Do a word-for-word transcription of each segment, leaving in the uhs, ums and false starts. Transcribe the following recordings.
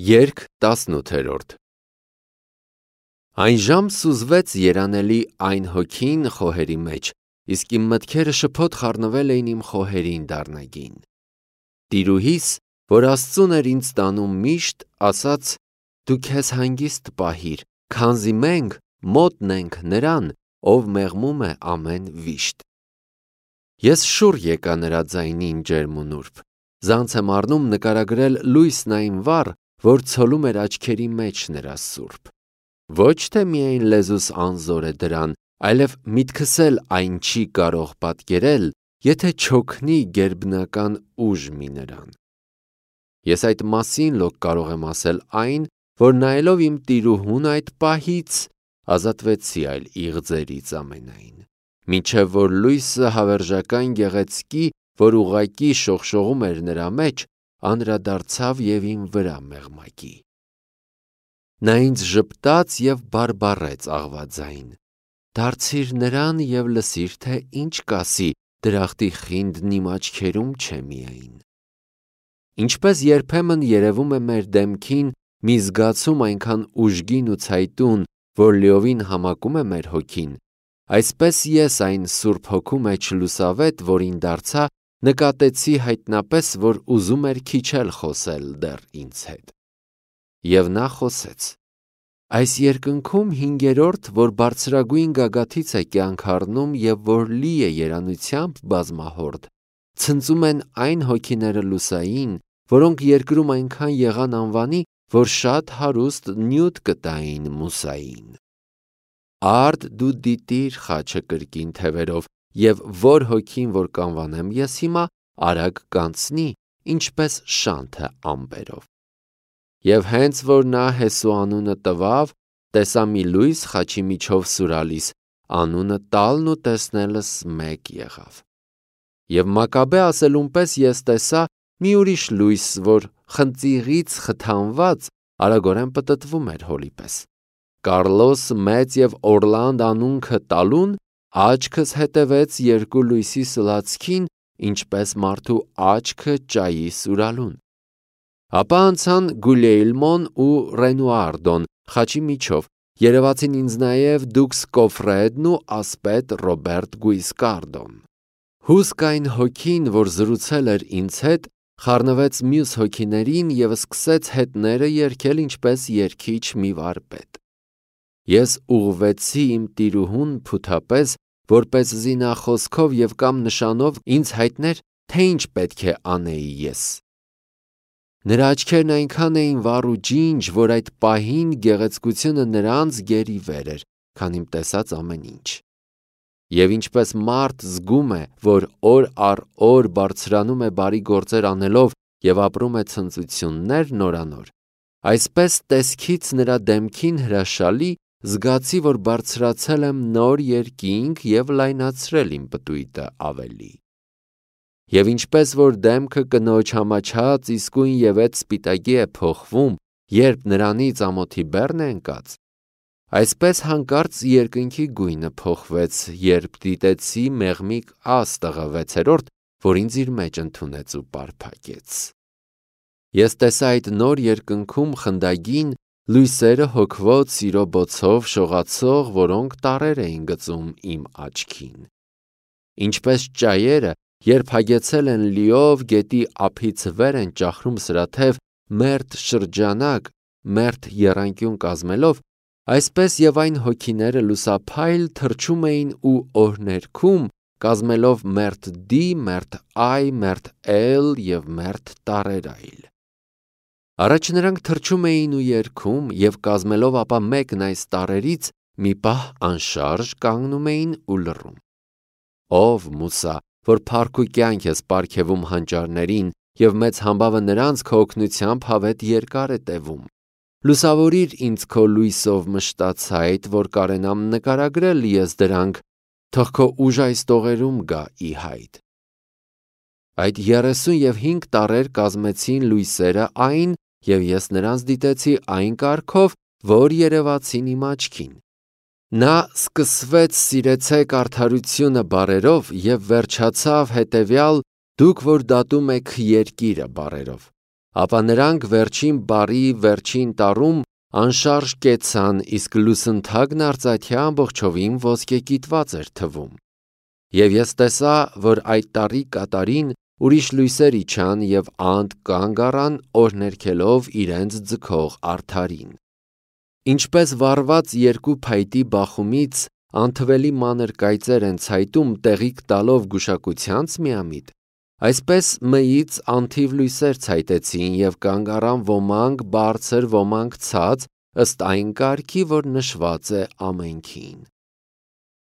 Երգ տասնութերորդ Այնժամ սուզվեց երանելի այն հոգին խոհերի մեջ, իսկ իմ մտքերը շփոթ խառնվել էին իմ խոհերին դառնագին: Տիրուհիս, որ Աստծուն էր ինձ տանում միշտ, ասաց. «Դու քեզ հանգիստ պահիր, քանզի մենք մոտն ենք նրան, ով մեղմում է ամեն վիշտ»: Ես շուռ եկա նրա ձայնին ջերմ ու նուրբ: Ձանց եմ առնում նկարագրել լույսն այն վառ, որ ցոլում էր աչքերի մեջ նրա սուրբ: Ոչ թե միայն լեզուս անզոր է դրան, այլև միտքս էլ այն չի կարող պատկերել, եթե չօգնի գերբնական ուժ մի նրան: Ես այդ մասին լոկ կարող եմ ասել այն, որ նայելով իմ տիրուհուն այդ պահից, ազատվեցի այլ իղձերից ամենայն: Մինչև որ լույսը հավերժական գեղեցկի, որ ուղղակի շողշողում էր նրա մեջ, անդրադարձավ և իմ վրա մեղմակի: Նա ինձ ժպտաց և բարբառեց աղվաձայն: «Դարձիր նրան և լսիր, թե ինչ կասի, դրախտի խինդն իմ աչքերում չէ միայն»: Ինչպես երբեմն երևում է մեր դեմքին մի զգացում այնքան ուժգին ու ցայտուն, որ լիովին համակում է մեր հոգին, այսպես ես այն Սուրբ Հոգու մեջ լուսավետ, որին դարձա, նկատեցի հայտնապես, որ ուզում էր քիչ էլ խոսել դեռ ինձ հետ: Եվ նա խոսեց. «Այս երկնքում հինգերորդ, որ բարձրագույն գագաթից է կյանք առնում և որ լի է երանությամբ բազմահորդ, ցնծում են այն հոգիները լուսային, որոնք երկրում այնքան եղան անվանի, որ շատ հարուստ նյութ կտային մուսային: Արդ դու դիտիր խաչը կրկին թևերով, և որ հոգին որ կանվանեմ ես հիմա, արագ կանցնի, ինչպես շանթը ամպերով»: Եվ հենց որ նա Հեսու անունը տվավ, տեսա մի լույս խաչի միջով սուրալիս, անունը տալն ու տեսնելս մեկ եղավ: Եվ Մակաբե ասելուն պես ես տեսա մի ուրիշ լույս, որ խնձիղից խթանված, արագորեն պտտվում էր հոլի պես: Կառլոս Մեծ և Օռլանդ անունքը տալուն, աչքս հետևեց երկու լույսի սլացքին, ինչպես մարդու աչքը ճայի սուրալուն: Ապա անցան Գուլիելմոն ու Ռենուարդոն խաչի միջով, երևացին ինձ նաև դուքս Կոֆրեդն ու ասպետ Ռոբերտ Գույսկարդոն: Հուսք այն հոգին, որ զրուցել էր ինձ հետ, խառնվեց մյուս հոգիներին և սկսեց հետները երգել ինչպես երգիչ մի վարպետ: Ես ուղղվեցի իմ տիրուհուն փութապես, որպեսզի նա խոսքով և կամ նշանով ինձ հայտներ, թե ինչ պետք է անեի ես: Նրա աչքերն այնքան էին վառ ու ջինջ, որ այդ պահին գեղեցկությունը նրանց գերի վեր էր, քան իմ տեսած ամեն ինչ: Եվ ինչպես մարդ զգում է, որ օր առ օր բարձրանում է բարի գործեր անելով և ապրում է ցնծություններ նորանոր, այսպես տեսքից նրա դեմքին հրաշալի, զգացի, որ բարձրացել եմ նոր երկինք և լայնացրել իմ պտույտը ավելի: Եվ ինչպես որ դեմքը կնոջ համաչած իսկույնևեթ սպիտակի է փոխվում, երբ նրանից ամոթի բեռն է ընկած, այսպես հանկարծ երկնքի գույնը փոխվեց, երբ դիտեցի մեղմիկ աստղը վեցերորդ, որ ինձ իր մեջ ընդունեց ու պարփակեց: Ես տեսա այդ նոր երկնքում խնդագին լույսերը հոգվոտ սիրո բոցով շողացող, որոնք տառեր էին գծում իմ աչքին: Ինչպես ճայերը, երբ հագեցել են լիով, գետի ափից վեր են ճախրում սրաթև, մերթ շրջանակ, մերթ եռանկյուն կազմելով, այսպես և այն հոգիները լուսափայլ թռչում էին ու օրհներգում, կազմելով մերթ դի, մերթ այ, մերթ էլ և մերթ տառեր այլ: Առաջ նրանք թռչում էին ու երգում և կազմելով ապա մեկն այս տառերից, մի պահ անշարժ կանգնում էին ու լռում: Ով Մուսա, որ փառք ու կյանք ես պարգևում հանճարներին և մեծ համբավը նրանց քո օգնությամբ հավետ երկար է տևում: Լուսավորիր ինձ քո լույսով մշտացայտ, որ կարենամ նկարագրել ես դրանք, թող քո ուժը այս տողերում գա ի հայտ: Այդ երեսուն և հինգ տառեր կազմեցին լույսերը այն և ես նրանց դիտեցի այն կարգով, որ երևացին իմ աչքին: Նա սկսվեց սիրեցեք արդարությունը բառերով և վերջացավ հետևյալ դուք որ դատում եք երկիրը բառերով: ապա նրանք վերջին բարի վերջին տարում անշարժ կեցան, իսկ լուսնթագն արծաթյա ամբողջովին ոսկեկիտված էր թվում։ Եվ ես տեսա, որ այդ տարի կատարին ուրիշ լույսեր իջան և անդ կանգ առան օրհներգելով իրենց ձգող արդարին։ Ինչպես վառված երկու փայտի բախումից անթվելի մանր կայծեր են ցայտում տեղիք տալով գուշակությանց միամիտ, այսպես մյից անթիվ լույսեր ցայտեցին և կանգ առան ոմանք բարձր, ոմանք ցած, ըստ այն կարգի, որ նշված է ամենքին։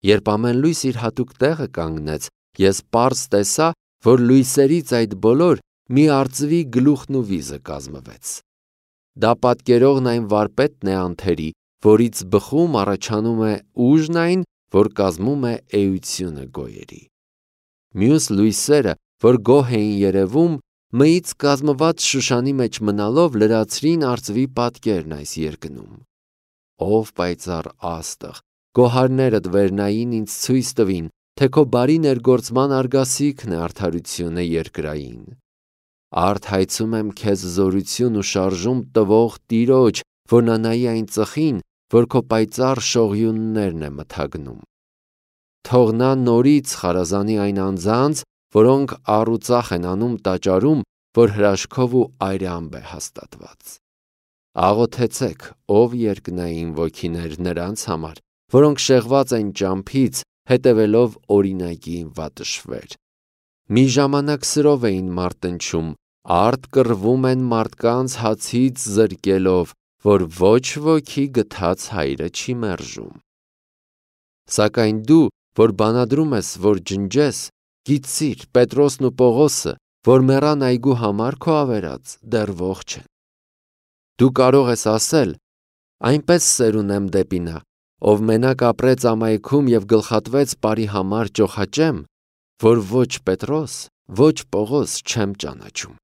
Երբ ամեն լույս իր հատուկ տեղը կանգնեց, ես պարզ տեսա, որ լույսերից այդ բոլոր մի արծվի գլուխն ու վիզը կազմվեց։ Դա պատկերողն այն վարպետն է անթերի, որից բխում առաջանում է ուժն այն, որ կազմում է էությունը գոյերի։ Մյուս լույսերը, որ գոհ էին երևում, մյից կազմված Շուշանի մեջ մնալով լրացրին արծվի պատկերն այս երկնում։ Ով պայծառ աստղ, գոհարներդ վերնային ինձ ցույց տվին, թե քո բարի ներգործման արգասիքն է արդարությունը երկրային։ Արդ հայցում եմ քեզ զորություն ու շարժում տվող Տիրոջ, որ նա նայի այն ծխին, որ քո պայծառ շողյուններն է մթագնում։ Թող նա նորից խարազանի այն անձանց, որոնք առուծախ են անում տաճարում, որ հրաշքով ու այրամբ է հաստատված։ Աղոթեցեք, ով երկնային ոգիներ նրանց համար, որոնք շեղված են ճամփից, հետևելով օրինակի վատշվեր։ Մի ժամանակ սրով էին մարտնչում, արդ կռվում են մարդկանց հացից զրկելով, որ ոչ ոքի գթած հայրը չի մերժում։ Սակայն դու, որ բանադրում ես, որ ջնջես, գիտցիր, Պետրոսն ու Պողոսը, որ մեռան այգու համար քո ավերած, դեռ ողջ են։ Դու կարող ես ասել. այնպես սեր ունեմ դեպի նա, ով մենակ ապրեց ամայքում և գլխատվեց բարի համար ճոխաճեմ, որ ոչ Պետրոս, ոչ Պողոս չեմ ճանաչում։